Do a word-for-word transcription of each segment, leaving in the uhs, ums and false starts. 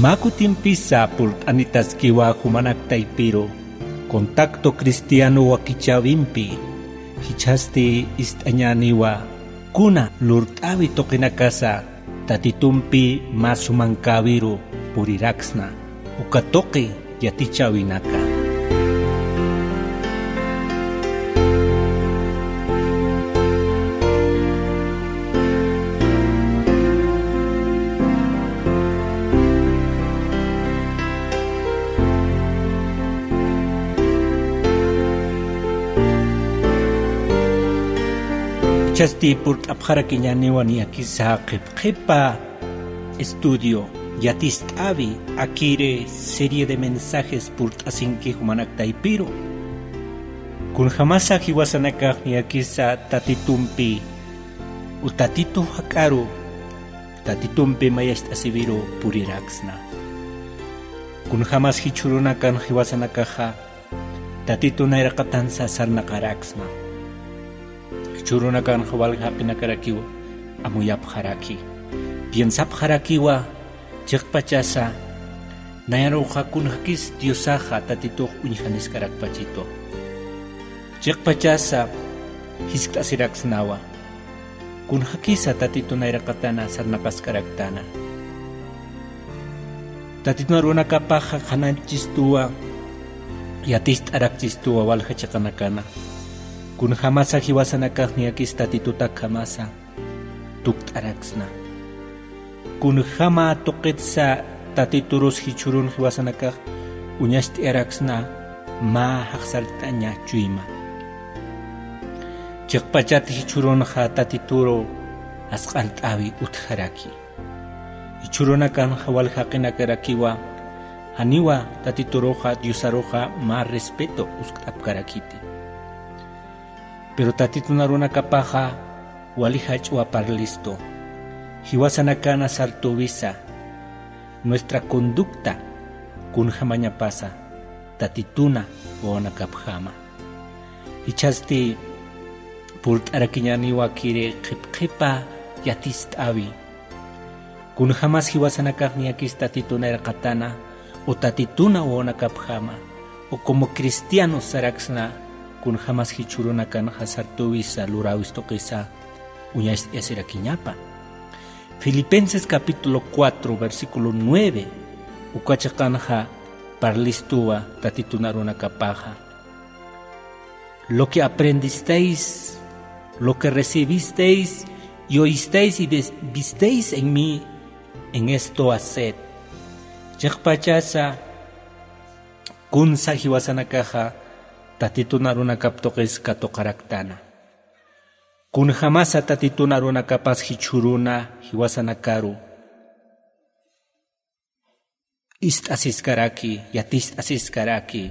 Mä kutimpisa purt'anitaskiwa jumanak taypiru Contacto Cristiano wakichäwimpi, jichhasti ist'añäniwa kuna lurt'äwi tuqinakasa Tatitumpi mä sumankäwiru puriraksna, uka tuqi yatichäwinaka. Jichhasti purt'apxarakiñäniwa niyakisa qhipqhipa estudio yatist'äwi akiri serie de mensajes purt'asinki jumanak taypiru. Kunjamasa jiwasanakax niyakisa Tatitumpi u Tatitu jak'aru, Tatitumpi mayacht'asiwiru puriraksna. Kunjamas jichhürunakan jiwasanakaxa Tatitu nayraqatansa sarnaqaraksna. Jichhürunakanxa walja jaqinakarakiw amuyapxaraki. Piensapxarakiwa chiqpachasa nayaruxa kunjakis Diosaxa Tatitux uñjaniskarakpachitu. Chiqpachasa jiskt'asiraksnawa. Kunjakisa Tatitu nayraqatana sarnaqaskaraktana. Tatitun arunakapaxa qhananchistuwa, yatist'arakchistuwa walja chiqanakana. Kunjamasa jiwasanakax niyakis Tatituta akhamasa tukt'araksna. Kunjama tuqitsa Tatiturus jichhürun jiwasanakax uñacht'ayaraksna mä jaqsart'aña chuyma. Chiqpachat jichhürunxa Tatituru asq'art'äwi utjaraki. Jichhürunakanxa walja jaqinakarakiwa janiwa Tatituruxa Diosaruxa mä respeto uskt'apkarakiti. Pero Tatitun arunakapaxa wali jach'wa parlistu. Jiwasanakana sartüwisa nuestra conducta kunjamañapasa Tatituna wawanakapjama. Jichhasti purt'arakiñäniwa kiri qhipqhipa yatist'äwi. Kunjamas jiwasanakax niyakis Tatituna irqatana, o Tatituna wawanakapjama, o como cristianos saraksna, kunjamas jichhürunakanxa sartüwisa luräwis tuqisa uñacht'ayasirakiñapa. Filipenses capítulo cuatro, versículo nueve, uka chiqanxa parlistuwa Tatitun arunakapaxa. Lo que aprendisteis, lo que recibisteis y oísteis y vis-, visteis en mí, en esto haced. Chiqpachasa kunsa jiwasanakaxa Tatitun arunakap tuqis katuqaraktana. Kunjamasa Tatitun arunakapas jichhüruna jiwasanakaru ist'asiskaraki, yatist'asiskaraki.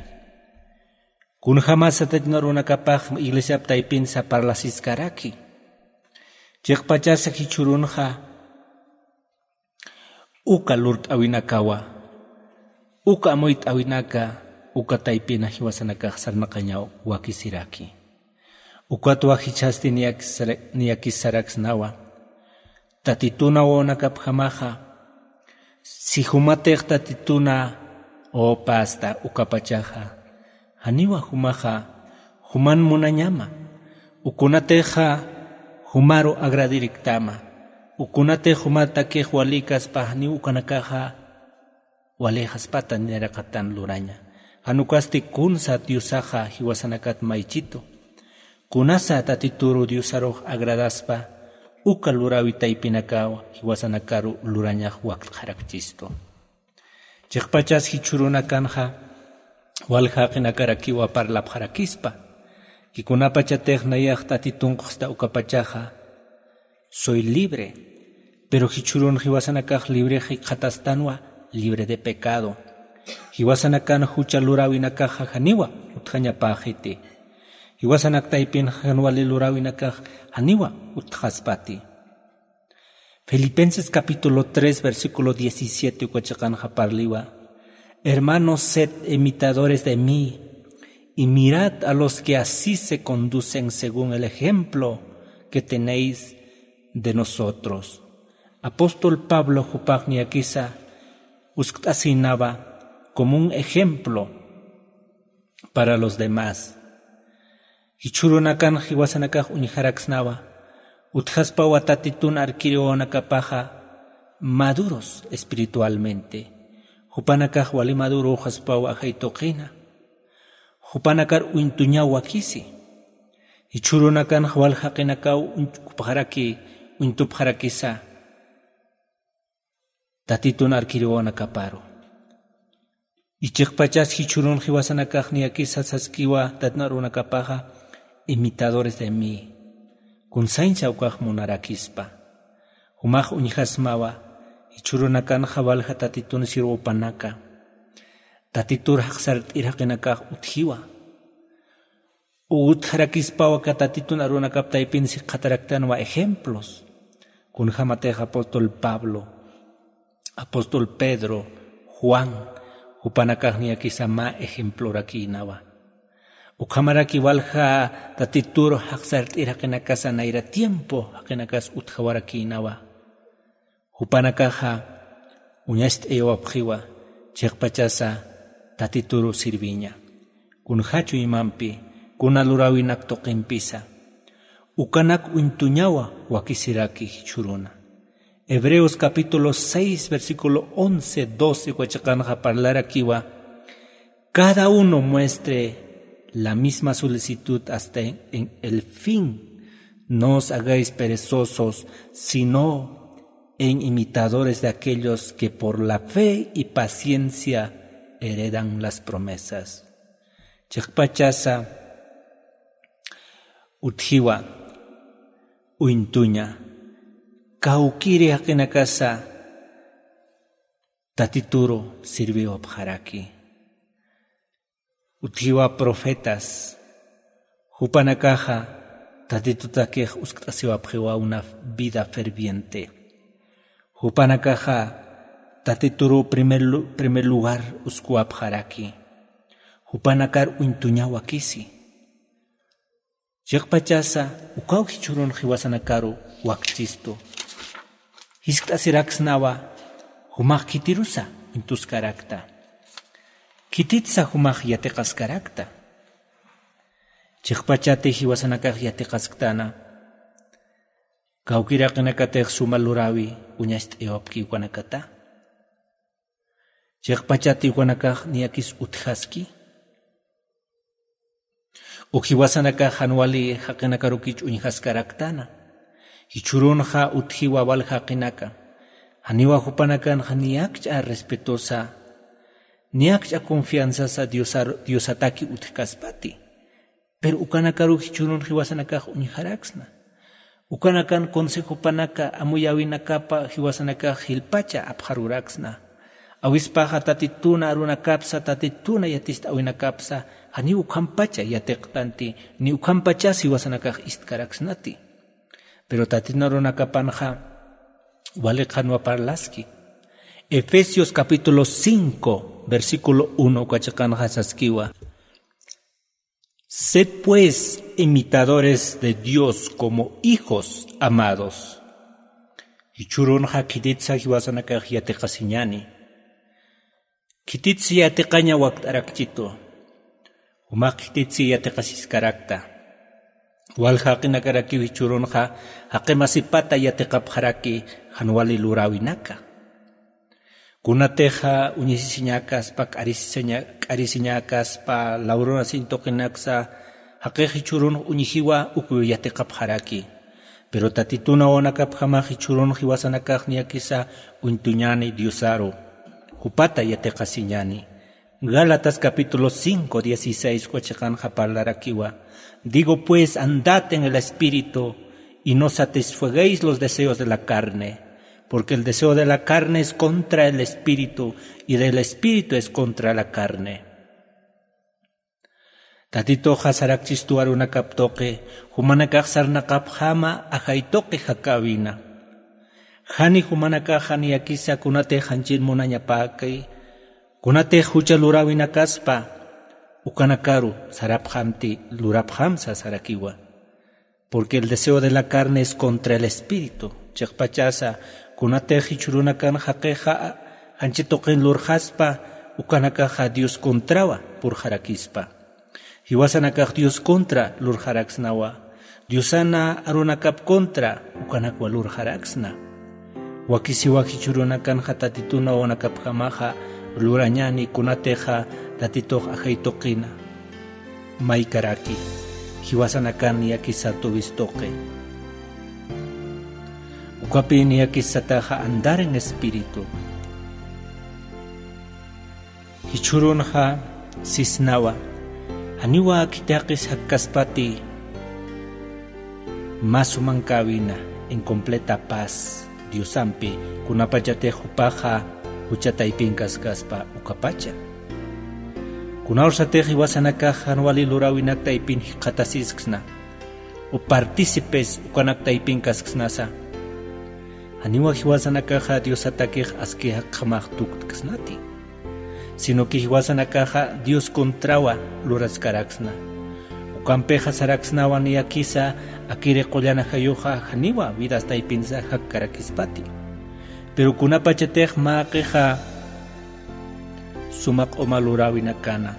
Kunjamasa Tatitun arunakapax iglesiap taypinsa parlasiskaraki. Chiqpachasa jichhürunxa uka lurt'äwinakawa, uka amuyt'äwinaka, uka taypina jiwasanakax sarnaqañaw wakisiraki. Ukatwa jichhasti niyakisara-, niyakisaraksnawa. Tatituna wawanakapjamaxa, si jumatix Tatituna wawapasta ukapachaxa, janiwa jumaxa juman munañama, ukunatixa jumaru agradiriktama, ukunatix jumatakix walikaspa janiw ukanakaxa walixaspata nayraqatan luraña. Jan ukasti kunsa Diosaxa jiwasanakat maychitu. Kunasa Tatituru Diosarux agradaspa, uka luräwi taypinakaw jiwasanakaru lurañax wakt'xarakchistu. Chiqpachas jichhürunakanxa walja jaqinakarakiwa parlapxarakispa. Kunapachatix nayax Tatitunx ukhasta ukapachaxa, soy libre. Pero jichhürun jiwasanakax libre jikxatastanwa, libre de pecado. Jiwasanakan jucha luräwinakaxa janiwa utjañapäxiti. Jiwasanak taypin jan wali luräwinakax janiwa utjaspati. Filipenses capítulo tres, versículo diecisiete uka chiqanxa parliwa: Hermanos, sed imitadores de mí, y mirad a los que así se conducen según el ejemplo que tenéis de nosotros. Apóstol Pablo jupax niyakisa uskt'asïnawa como un ejemplo para los demás. Jichhürunakan jiwasanakax uñjaraksnawa utjaspawa tatitun arkiriwawanakapaxa maduros espiritualmente. Jupanakax wali maduröxaspawa ajay tuqina. Jupanakar uñtuñaw wakisi. Jichhürunakanxa wal jaqinakaw uñtupxaraki uñtupxarakisa tatitun arkiriwawanakaparu. Ichiqpachas jichhürun jiwasanakax niyakisa saskiwa tatitun arunakapaxa imitadores de mí. Kunsañsa ukax munarakispa. Jumax uñjasmawa jichhürunakanxa walja tatitun sirwupanaka tatitur jaqsart'ir jaqinakax utjiwa. Utjarakispawa aka tatitun arunakap taypin sikxataraktanwa ejemplos. Kunjämatix apóstol Pablo, apóstol Pedro, Juan, jupanakax niyakisa mä ejemplorakïnawa. Ukhamaraki walja tatitur jaqsart'ir jaqinakasa nayra tiempo jaqinakas utjawarakïnawa. Jupanakaxa uñacht'ayawapxiwa chiqpachasa tatituru sirviña. Kunjä chuymampi kuna luräwinak tuqimpisa ukanak uñtuñawa wakisiraki jichhüruna. Hebreos capítulo seis versículo once, doce uka chiqanxa parlarakiwa: cada uno muestre la misma solicitud hasta en, en el fin. No os hagáis perezosos, sino en imitadores de aquellos que por la fe y paciencia heredan las promesas. Chiqpachasa utjiwa uñtuña kawkiri jaqinakasa tatituru sirviwapxaraki. Utjiwa profetas, jupanakaxa tatitutakix uskt'asiwapxiwa una vida ferviente. Jupanakaxa tatituru primer, lu- primer lugar uskuwapxaraki. Jupanakar uñtuñaw wakisi. Chiqpachasa ukaw jichhürun jiwasanakaru wakchistu. Jiskt'asiraksnawa jumax khitirusa uñtuskarakta. Khititsa jumax yatiqaskarakta. Chiqpachati jiwasanakax yatiqasktana. Kawkiraqinakatix suma luräwi uñacht'ayawapki ukanakata. Chiqpachati ukanakax niyakis utjaski. Uk jiwasanakax jan wali jaqinakarukich uñjaskaraktana. Jichhürunxa utjiwa wal jaqinaka. Janiwa jupanakanxa niyakch'a respetosa, niyakch'a confianzasa Diosar- Diosataki utjkaspati. Pero ukanakaru jichhürun jiwasanakax uñjaraksna. Ukanakan consejopanaka amuyäwinakapa jiwasanakax jilpacha apxaruraksna. Awispaxa tatituna arunakapsa, tatituna yatist'äwinakapsa, janiw ukhampacha yatiqtanti, ni ukhampachas jiwasanakax istkaraksnati. Pero tatitun arunakapanxa wali qhanwa parlaski. Efesios capítulo cinco, versículo uno uka chiqanxa saskiwa: Sed pues imitadores de Dios como hijos amados. Jichhürunxa khititsa jiwasanakax yatiqasiñani. Khititsa yatiqaña wakt'arakchitu. Jumax khititsa yatiqasiskarakta. Wal jaqinakarakiw jichhürunxa jaqimasipata yatiqapxaraki jan wali luräwinaka. Kunatixa uñisisiñäkaspa, k'arisiña- k'arisiñäkaspa, lawrunasiñ tuqinaksa, jaqix jichhürun uñjiwa ukiw yatiqapxaraki. Pero tatitun awanakapjamax jichhürun jiwasanakax niyakisa uñtuñäni Diosaru. Jupata yatiqasiñäni. Gálatas capítulo cinco, dieciséis uka chiqanxa parlarakiwa: Digo pues, andad en el Espíritu, y no satisfagáis los deseos de la carne, porque el deseo de la carne es contra el Espíritu, y del Espíritu es contra la carne. Tatituxa sarakchistu arunakap tuqi, jumanakax sarnaqapxäma ajay tuqi jakäwina. Jani jumanakaxa niyakisa kunatix janchin munañapäki, kunatix jucha luräwinakaspa, ukanakaru sarapxamti, lurapxamsa sarakiwa. Porque el deseo de la carne es contra el espíritu. Chiqpachasa kunatix jichhürunakan jaqixa Janchi tuqin lurxaspa, ukanakaxa Dios contrawa purxarakispa. Jiwasanakax Dios contra lurxaraksnawa. Diosana arunakap contra ukanakwa lurxaraksna. Wakisiwa jichhürunakanxa Tatitun wawanakapjamaxa lurañäni kunatixa Tatitux ajay tuqina. Maykaraki, jiwasanakan niyakisa tuwis tuqi. Ukapï niyakis sataxa andar en espíritu. Jichhürunxa sisnawa, janiwa khithaqis jakkaspati mä sumankäwina, en completa paz Diosampi, kunapachatix jupaxa jucha taypinkaskaspa ukapacha. Kunawsatix jiwasanakax jan wali luräwinak taypin jikxatasisksna, o partícipes ukanak taypinkaskasnasa. Janiwa jiwasanakaxa Diosatakix aski jakjamax tuktkasnati. Sino que jiwasanakaxa Dios contrawa luraskaraksna. Ukampixa saraksnawa niyakisa akiri qullanajayuxa janiwa vidas taypinsa jakkarakispati. Pero kunapachatix mäqixa suma q'uma luräwinakana,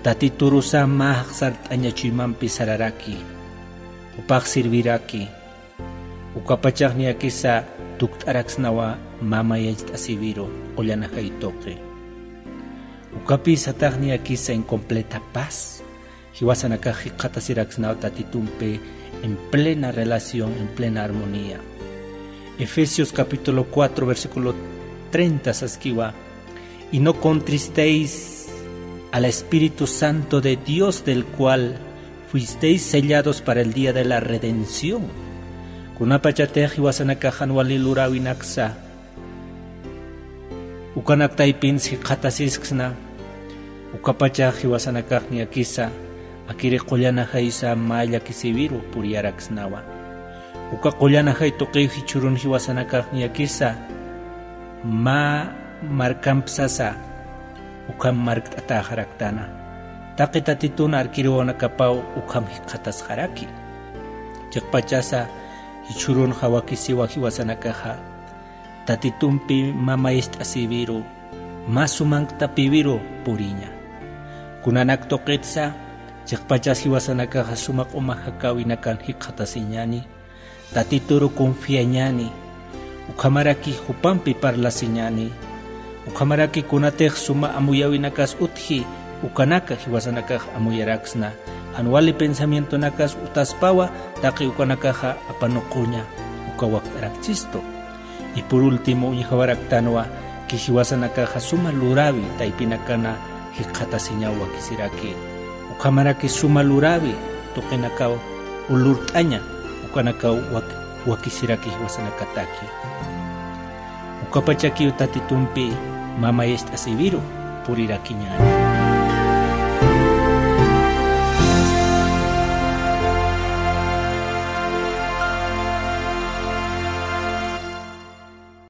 Tatiturusa mä jaqsart'aña chuymampi sararaki, jupax sirviraki, ukapachax niyakisa tukt'araksnawa mä mayacht'asiwiru qullanajay tuqi. Ukapï satax niyakisa en completa paz. Jiwasanakax jikxatasiraksnaw Tatitumpi en plena relación, en plena armonía. Efesios capítulo cuatro, versículo treinta saskiwa: "Y no contristéis al Espíritu Santo de Dios, del cual fuisteis sellados para el día de la redención". Kunapachatix jiwasanakax jan wali luräwinaksa ukanak taypins jikxatasisksna, ukapachax jiwasanakax niyakisa akiri qullanajaysa mä llakisiwiru puriyaraksnawa. Uka qullanajay tuqiw jichhürun jiwasanakax niyakisa mä markamp sasa ukham markt'atäxaraktana. Taqi Tatitun arkiri wawanakapaw ukham jikxatasxaraki. Chiqpachasa jichhürunxa wakisiwa jiwasanakaxa Tatitumpi mä mayacht'asiwiru, mä sumanktapïwiru puriña. Kunanak tuqitsa, chiqpachas jiwasanakaxa suma q'uma jakäwinakan jikxatasiñäni, Tatituru confiañäni, ukhamaraki jupampi parlasiñäni, ukhamaraki kunatix suma amuyäwinakas utji, ukanaka jiwasanakax amuyaraksna. Jan wali pensamientonakas utaspawa, taqi ukanakaxa apanuquña, uka wakt'arakchistu. Y por último, uñjawaraktanwa, ki jiwasanakaxa suma luräwi taypinakana jikxatasiñaw wakisiraki. Ukhamaraki suma luräwi tuqinakaw, o lurt'aña ukanakaw wak-, wakisiraki jiwasanakataki. Ukapachakiw Tatitumpi mä mayacht'asiwiru purirakiñäni.